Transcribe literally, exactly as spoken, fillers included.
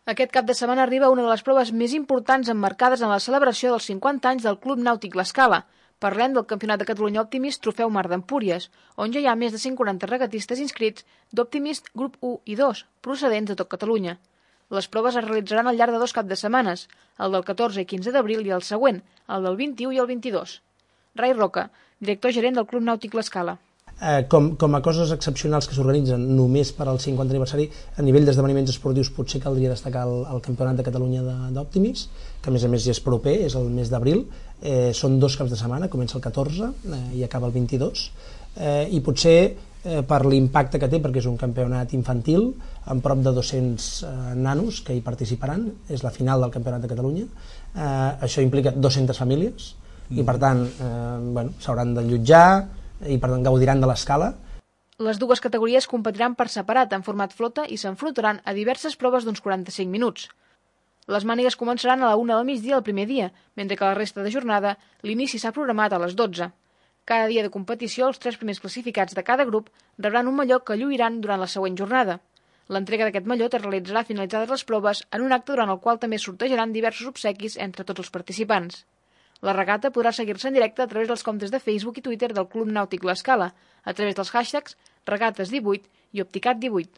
Aquest cap de setmana arriba una de les proves més importants emmarcades en la celebració dels cinquanta anys del Club Nàutic L'Escala. Parlem del Campionat de Catalunya Optimist Trofeu Mar d'Empúries, on ja hi ha més de cent quaranta regatistes inscrits d'Optimist Grup u i dos, procedents de tot Catalunya. Les proves es realitzaran al llarg de dos caps de setmanes, el del catorze i quinze d'abril i el següent, el del vint-i-u i el vint-i-dos. Rai Roca, director gerent del Club Nàutic L'Escala. Eh, com, com a coses excepcionals que s'organitzen només per al cinquanta aniversari, a nivell d'esdeveniments esportius potser caldria destacar el, el Campionat de Catalunya d'Optimist, que a més a més ja és proper, és el mes d'abril, eh, són dos caps de setmana, comença el catorze eh, i acaba el vint-i-dos, eh, i potser eh, per l'impacte que té, perquè és un campionat infantil, amb prop de dos-cents eh, nanos que hi participaran, és la final del Campionat de Catalunya, eh, això implica dues-centes famílies, mm. i per tant eh, bueno, s'hauran d'allotjar, i per tant gaudiran de l'escala. Les dues categories competiran per separat en format flota i s'enfrontaran a diverses proves d'uns quaranta-cinc minuts. Les mànigues començaran a la una del migdia el primer dia, mentre que la resta de jornada l'inici s'ha programat a les dotze. Cada dia de competició els tres primers classificats de cada grup rebran un mallot que lluiran durant la següent jornada. L'entrega d'aquest mallot es realitzarà finalitzades les proves en un acte durant el qual també sortejaran diversos obsequis entre tots els participants. La regata podrà seguir-se en directe a través dels comptes de Facebook i Twitter del Club Nàutic L'Escala, a través dels hashtags regates divuit i opticat divuit.